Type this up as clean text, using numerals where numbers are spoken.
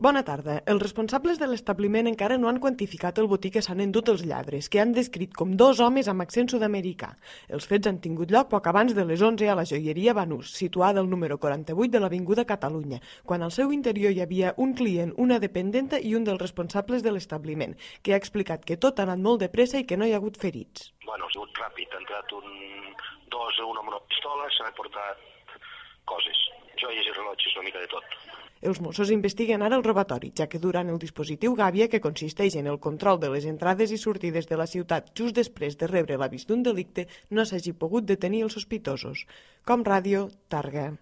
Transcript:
Bona tarda. Els responsables de l'establiment encara no han quantificat el botí que s'han endut els lladres, que han descrit com 2 homes amb accent sud-americà. Els fets han tingut lloc poc abans de les 11 a la joieria Banús, situada al número 48 de l'Avinguda Catalunya, quan al seu interior hi havia un client, una dependenta i un dels responsables de l'establiment, que ha explicat que tot ha anat molt de pressa i que no hi ha hagut ferits. Bueno, ha sigut ràpid. Ha entrat un amb una pistola, s'ha portat coses, joies i rellotges, una mica de tot. Els Mossos investiguen ara el robatori, ja que durant el dispositiu Gàbia, que consisteix en el control de les entrades i sortides de la ciutat just després de rebre l'avís d'un delicte, no s'hagi pogut detenir els sospitosos. Com Ràdio, Tàrrega.